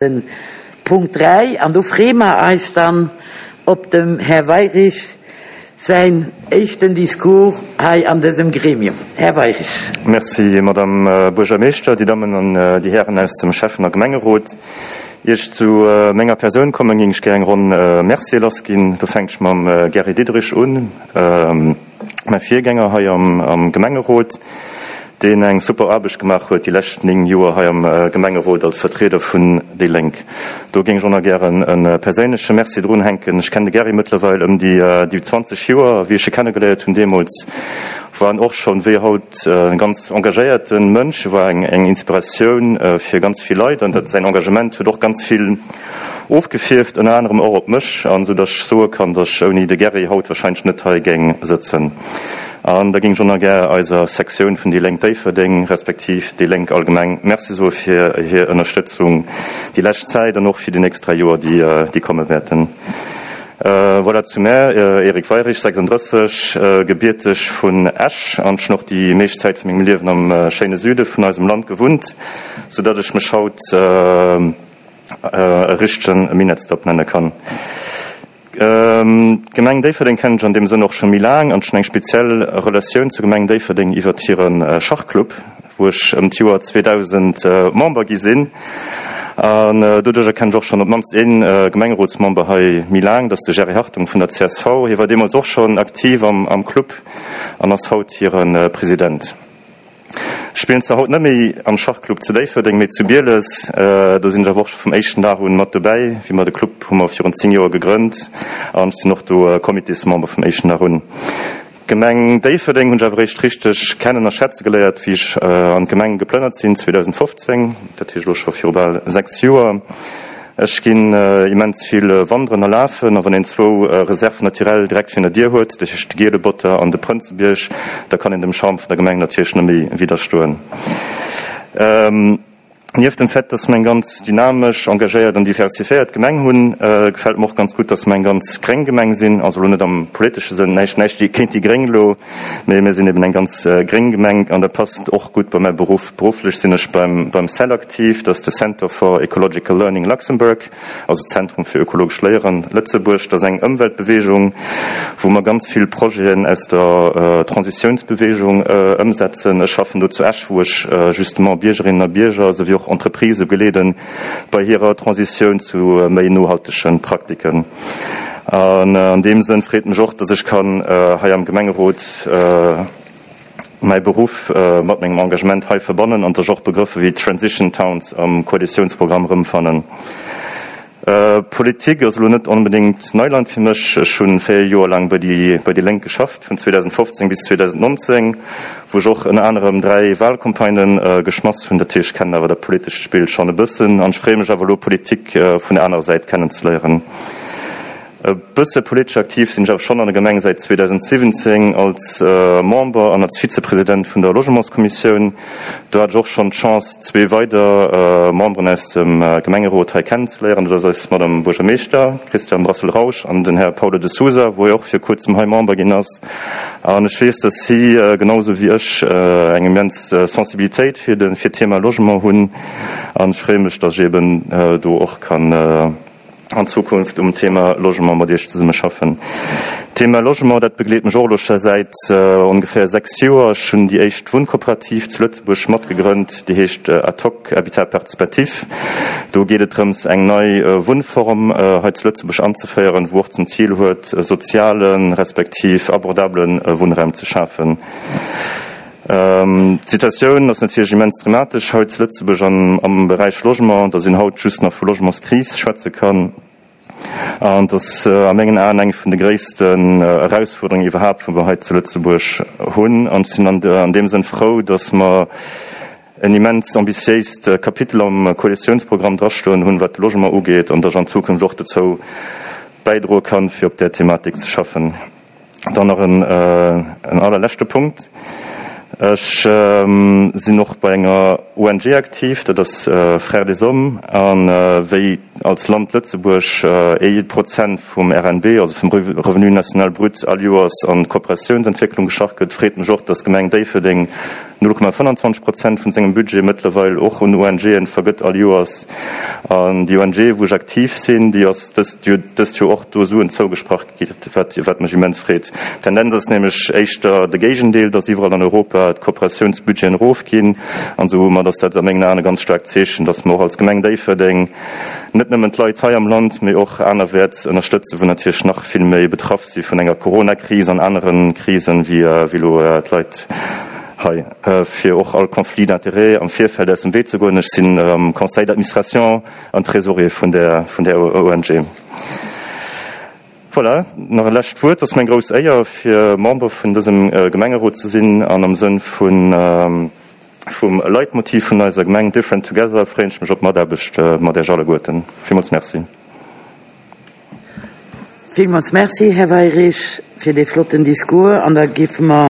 Den Punkt 3, an do freeë mer eis dann op dem Här Weirich säin éischten Discours hei an dësem Gremium. Här Weirich. Merci, Madame Buergermeeschter, Dir Dammen an Dir Hären aus dem Schäffen a Gemengerot. Ier ech zu menger Persoun kommen, géing ech gär eng Ronn Mercië lassginn. Do fänkt ech mam Gary Diderich un. Mäi Virgänger hei am Gemengerot, deen eng super Aarbecht gemaach huet déi lescht 9 Joer hei am Gemengerot als Vertrieder vun déi Lénk. Do géing ech och nach gären e perséinleche Merci drunhänken. Ech kennen de Gary mëttlerweil ëm déi 20 Joer. Wéi ech e kennegeléiert hunn deemools, war en och schonn, wéi haut, e ganz engagéierte Mënsch. E war eng Inspiratioun fir ganz vill Leit an dat säin Engagement huet och ganz vill Ofgefierft, ënner anerem och op mech, an esou datt ech soe kann, datt ech ouni de Gerry haut wahrscheinlech net hei géing sëtzen. An da géing ech och nach gär eiser Sektioun vun déi Lénk Déifferdeng, respektiv déi Lénk allgemeng Merci soe fir hir Ënnerstëtzung déi lescht Zäit an och fir déi nächst 3 Joer, déi komme wäerten. Voilà zu mär, Eric Weirich, 36, gebierteg vun Esch an ech hunn och déi meescht Zäit vu mengem Liewen am schéine Süde vun eisem Land gewunnt, sou datt ech mech haut, e richtegen Minettsdop nenne kann. D'Gemeng Déifferdeng kennen ech an deem Sënn och scho méi laang an ech hunn eng speziell Relatioun zur Gemeng Déifferdeng iwwert hire Schachclub, wou ech ëm d'Joer 2000 Member gi sinn. An doduercher kennen ech och schonn op d'mannst ee Gemengerotsmember hei méi laang, dat ass de Jerry Hartung vun der csv. Hie war deemools och schonn aktiv am Club an ass haut hire President. Ech spillen zwar haut net méi am Schachclub zu Déifferdeng, mee zu Bieles. Do sinn ech awer och scho vum éischten Dag un mat dobäi. Wéi mer de Club hu mer virun 10 Joer gegrënnt an ech sinn och do Comitésmember vum éischten Dag un. D'Gemeng Déifferdeng hunn ech awer eréischt richteg kennen a schätze geléiert, wéi ech an d'Gemeng geplënnert sinn 2015, dat heescht elo scho viru bal 6 Joer. Ech ginn immens vill wanderen a lafen, a wann een zwou Réserves naturelles direkt virun der Dier huet, dat heescht de Gielebotter an de Prënzebierg, da kann een dem Charme vun der Gemeng natierlech net méi widderstoen. Nieft dem Fait, dass mer eng ganz dynamesch, engagéiert an diversifiéiert Gemeng hunn, gefält mer och ganz gutt, dass mer eng ganz gréng Gemeng sinn, also elo net am politesche Sënn, näischt näischt géint déi Gréng elo, mee mir sinn eben eng ganz gréng Gemeng an dat passt och gutt bei mäi Beruff. Berufflech sinn ech beim cell aktiv, dat ass de Center for Ecological Learning Luxembourg, also Zentrum fir ökologescht Léieren Lëtzebuerg. Dat ass eng Ëmweltbeweegung, wou mer ganz vill Projeten aus der Transitiounsbeweegung ëmsetzen. Ech schaffen do zu Esch, wou ech justement Biergerinnen a Bierger souwéi och Entreprisë begleeden bei hirer Transitioun zu méi nohaltege Praktiken. An an deem Sënn freet mech och, dass ech kann hei am Gemengerot, mäi Beruff mat mengem Engagement hei verbannen an dass ech och Begrëffe wéi Transition Towns am Koalitiounsprogramm erëmfannen. Politik ass elo net onbedéngt Neiland fir mech. Ech hu 4 Joer laang bei déi bei déi Lénk geschafft, vun 2015 bis 2019, wou ech och ënner anerem 3 Wahlcampagnen geschmass hunn. Dat heescht, ech kennen awer dat politescht Spill schonn e bëssen an ech freeë mech awer elo, Politik vun der anerer Säit kennenzeléieren. E bësse politesch aktiv sinn ech awer schonn an der Gemeng säit 2017 als Member an als Vizepresident vun der Logementskommissioun. Do hat ech och schonn d'Chance zwee weider Memberen aus dem Gemengerot hei kennenzeléieren. Dat ass eis Madame Buergermeeschter Christiane Brassel-Rausch an den Här Paulo de Sousa, wou och fir kuerzem hei Member ginn ass. An ech weess, dass si genau esou wéi ech eng immens Sensibilitéit fir d'Thema Logement hunn. An ech freeë mech, dass ech eben do och kann an Zukunft um Thema Logement mat Iech zesumme schaffen. D'Thema Logement, dat begleet mech och elo scho säit ongeféier 6 Joer. Ech hunn déi éischt Wunnkooperativ zu Lëtzebuerg matgegrënnt, déi heescht Ad hoc Habitat participatif. Do geet et drëms, eng nei Wunnform hei zu Lëtzebuerg anzeféieren, wou och zum Zil huet, soziale respektiv abordabele Wunnraum ze schafen. D'Situatioun ass natierlech immens dramatesch hei zu Lëtzebuerg an am Beräich Logement, datt een haut just nach vu Logementskris schwätze kann. An et ass a mengen Aen eng vun de gréissten Erausfuerderungen iwwerhaapt, wou mer hei zu Lëtzebuerg hunn. An ech sinn an deem Sënn frou, datt mer en immens ambitiéist Kapitel am Koalitiounsprogramm drastoen hunn, wat de Logement ugeet, an datt ech an Zukunft och dozou bäidroe kann, fir op där Thematik ze schaffen. Dann nach en allerleschte Punkt. Ech sinn och bei enger ONG aktiv, dat ass Frères des Hommes. A wéi als Land Lëtzebuerg ee Prozent vum RNB, also vum Revenu national brut, all Joers an d'Kooperatiounsentwécklung geschach gëtt, freet mech och, dass d'Gemeng Déifferdeng 0,25 Prozent vun sengem Budget mëttlerweil och un ONGen vergëtt all Joers. An déi ONG, wou ech aktiv sinn, déi ass dëst dëst Joer och do Suen zougesprach gi, wat wat mech immens freet. D'Tendenz ass nämlech éischter de Géigendeel, dass iwwerall an Europa d'Kooperatiounsbudgeten erofginn. An soumat ass dat a mengen Aen e ganz staarkt Zeechen, dass mer och als Gemeng Déifferdeng net nëmmen d'Leit hei am Land, mee och anerwäerts ënnerstëtzen, wou natierlech nach vill méi betraff si vun enger Coronakris an anere Krisen, wéi elo d'Leit hei. Fir och all Conflit d'intérêts am Virfeld aus dem Wee ze goen, ech sinn am Conseil d'administration an Trésorier vun där ONG. Voilà, nach e lescht Wuert. Et ass mir eng grouss Éier, fir Member vun dësem Gemengerot ze sinn an am Sënn vun vum Leitmotiv vun eiser Gemeng, Different Together, freeën ech mech op d'Mataarbecht mat Iech alleguerten. Villmools Merci. Villmools Merci, Här Weyrich, fir dee flotten Discours. An da géife mer.